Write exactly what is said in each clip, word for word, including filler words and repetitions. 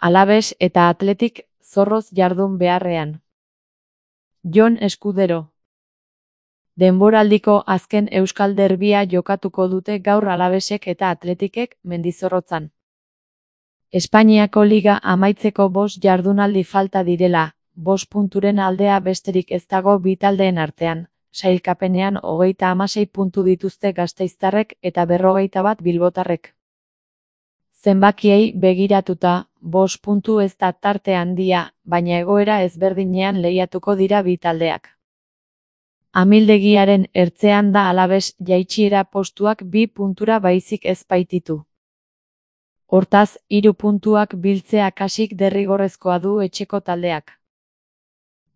Alavés eta Athletic zorroz jardun beharrean. Jon Eskudero. Denboraldiko azken euskal derbia jokatuko dute gaur Alavesek eta Athleticek Mendizorrotzan. Espainiako liga amaitzeko bost jardunaldi falta direla, bost punturen aldea besterik ez dago bi taldeen artean, sailkapenean hogeita hamasei puntu dituzte gasteiztarrek eta berrogeita bat bilbotarrek. Zenbakiei begiratuta, bost puntu ez da tarte handia, baina egoera ezberdinean lehiatuko dira bi taldeak. Amildegiaren ertzean da Alavés jaitsiera postuak bi puntura baizik ez baititu. Hortaz, hiru puntuak biltzea kasik derrigorrezkoa du etxeko taldeak.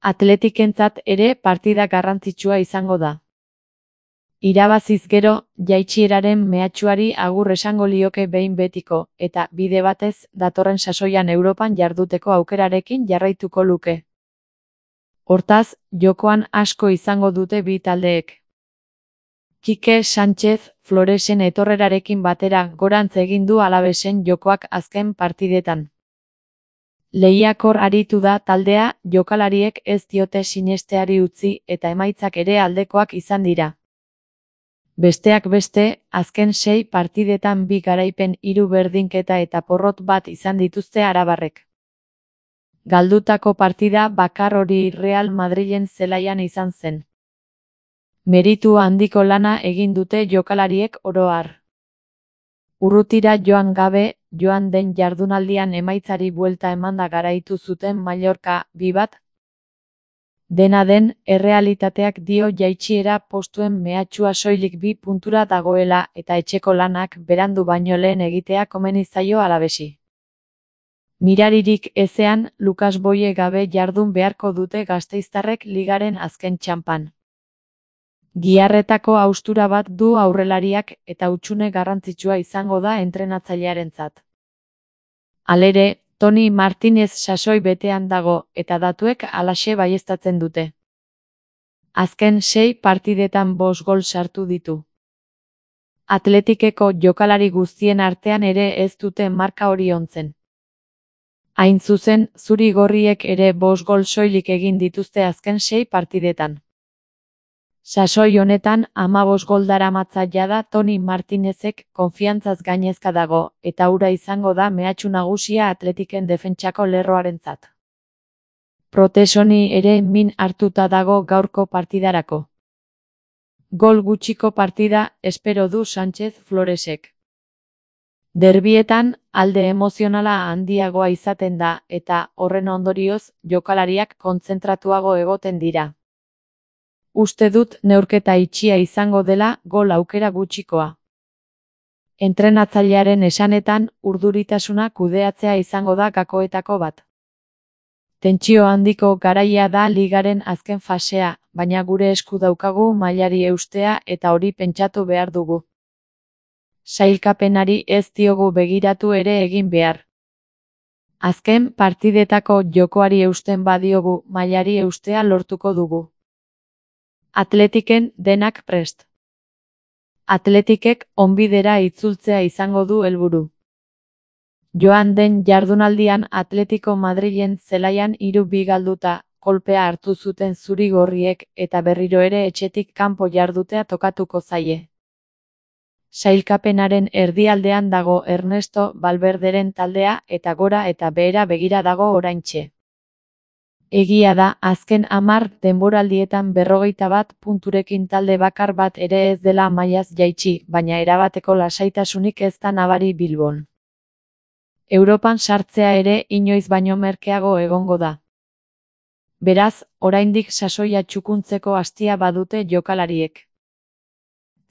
Atletikentzat ere partida garrantzitsua izango da. Irabaziz gero, jaitsieraren mehatxuari agur esango lioke behin betiko, eta bide batez, datorren sasoian Europan jarduteko aukerarekin jarraituko luke. Hortaz, jokoan asko izango dute bi taldeek. Kike Sánchez Floresen etorrerarekin batera gorantz egin du Alavesen jokoak azken partidetan. Lehiakor aritu da taldea, jokalariek ez diote sinesteari utzi eta emaitzak ere aldekoak izan dira. Besteak beste, azken sei partidetan bi garaipen hiru berdinketa eta porrot bat izan dituzte arabarrek. Galdutako partida bakar hori Real Madrilen zelaian izan zen. Meritu handiko lana egin dute jokalariek oro har. Urrutira joan gabe, joan den jardunaldian emaitzari buelta emanda garaitu zuten Mallorca bi bat. Dena den, errealitateak dio jaitsiera postuen mehatxua soilik bi puntura dagoela eta etxeko lanak berandu baino lehen egitea komeni zaio Alavesi. Miraririk ezean, Lukas Boye gabe jardun beharko dute gasteiztarrek ligaren azken txanpan. Giharretako haustura bat du aurrelariak eta hutsune garrantzitsua izango da entrenatzailearentzat. Halere, Toni Martinez sasoi betean dago eta datuek halaxe baieztatzen dute. Azken sei partidetan bost gol sartu ditu. Athleticeko jokalari guztien artean ere ez dute marka hori ontzen. Hain zuzen, zuri-gorriek ere bost gol soilik egin dituzte azken sei partidetan. Sasoi honetan hamabost gol daramatza jada Toni Martinezek konfiantzaz gainezka dago eta hura izango da mehatxu nagusia Athleticen defentsako lerroarentzat. Protesoni ere min hartuta dago gaurko partidarako. Gol gutxiko partida espero du Sánchez Floresek. Derbietan, alde emozionala handiagoa izaten da eta, horren ondorioz, jokalariak kontzentratuago egoten dira. Uste dut neurketa itxia izango dela gol aukera gutxikoa. Entrenatzailearen esanetan, urduritasuna kudeatzea izango da gakoetako bat. Tentsio handiko garaia da ligaren azken fasea, baina gure esku daukagu mailari eustea eta hori pentsatu behar dugu. Sailkapenari ez diogu begiratu ere egin behar. Azken partidetako jokoari eusten badiogu mailari eustea lortuko dugu. Athleticen denak prest. Athleticek onbidera itzultzea izango du helburu. Joan den jardunaldian Atletico Madrilen zelaian hiru bi galduta, kolpea hartu zuten zuri-gorriek eta berriro ere etxetik kanpo jardutea tokatuko zaie. Sailkapenaren erdialdean dago Ernesto Valverderen taldea eta gora eta behera begira dago oraintxe. Egia da, azken hamar denboraldietan berrogeita bat punturekin talde bakar bat ere ez dela mailaz jaitsi, baina erabateko lasaitasunik ez da nabari Bilbon. Europan sartzea ere inoiz baino merkeago egongo da. Beraz, oraindik sasoia txukuntzeko astia badute jokalariek.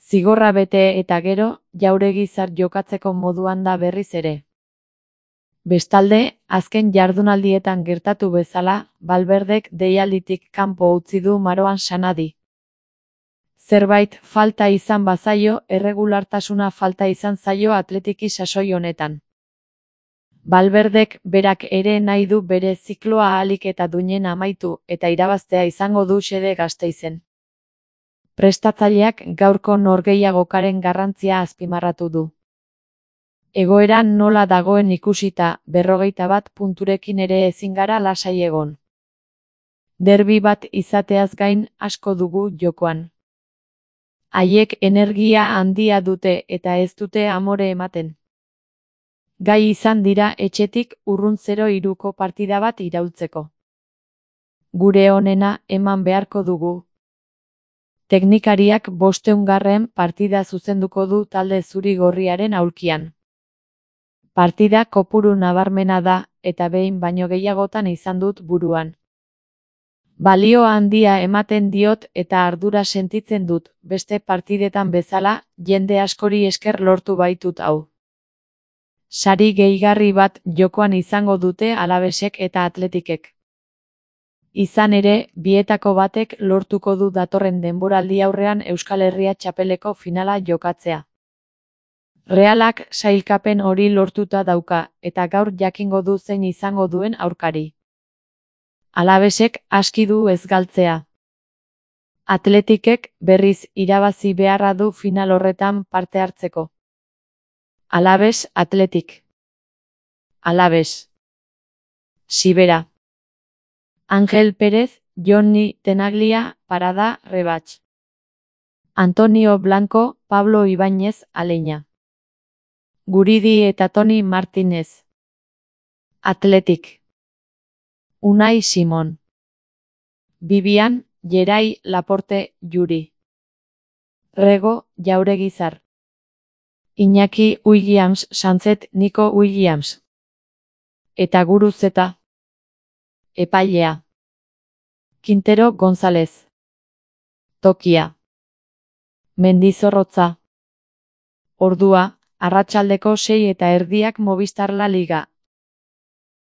Zigorra bete eta gero, jauregizar jokatzeko moduan da berriz ere. Bestalde, azken jardunaldietan gertatu bezala, Valverdek deialditik kanpo utzi du Marouane Sanadi. Zerbait falta izan bazaio, erregulartasuna falta izan zaio Athletiki sasoi honetan. Valverdek berak ere nahi du bere zikloa ahalik eta duinen amaitu eta irabaztea izango du xede Gasteizen. Prestatzaileak gaurko norgehiagokaren garrantzia azpimarratu du. Egoera nola dagoen ikusita, berrogeita bat punturekin ere ezin gara lasai egon. Derbi bat izateaz gain asko dugu jokoan. Haiek energia handia dute eta ez dute amore ematen. Gai izan dira etxetik urrun zero hiruko partida bat iraultzeko. Gure onena eman beharko dugu. Teknikariak bosteungarren partida zuzenduko du talde zuri-gorriaren aulkian. Partida kopuru nabarmena da, eta behin baino gehiagotan izan dut buruan. Balio handia ematen diot eta ardura sentitzen dut, beste partidetan bezala, jende askori esker lortu baitut hau. Sari gehigarri bat jokoan izango dute Alavesek eta Atletikek. Izan ere, bietako batek lortuko du datorren denboraldi aurrean Euskal Herria txapeleko finala jokatzea. Realak sailkapen hori lortuta dauka, eta gaur jakingo du zein izango duen aurkari. Alavesek aski du ez galtzea. Atletikek berriz irabazi beharra du final horretan parte hartzeko. Alaves Atletik. Alaves. Sibera. Ángel Pérez, Johnny Tenaglia, Parada, Rebach. Antonio Blanco, Pablo Ibáñez, Aleña. Guridi eta Toni Martínez. Atletik. Unai Simon. Vivian, Gerai, Laporte, Yuri. Rego, Jauregizar. Iñaki Williams, Sanzet, Nico Williams. Eta Guruzeta. Epailea. Quintero González. Tokia. Mendizorrotza. Ordua, arratsaldeko sei eta erdiak Movistar La Liga,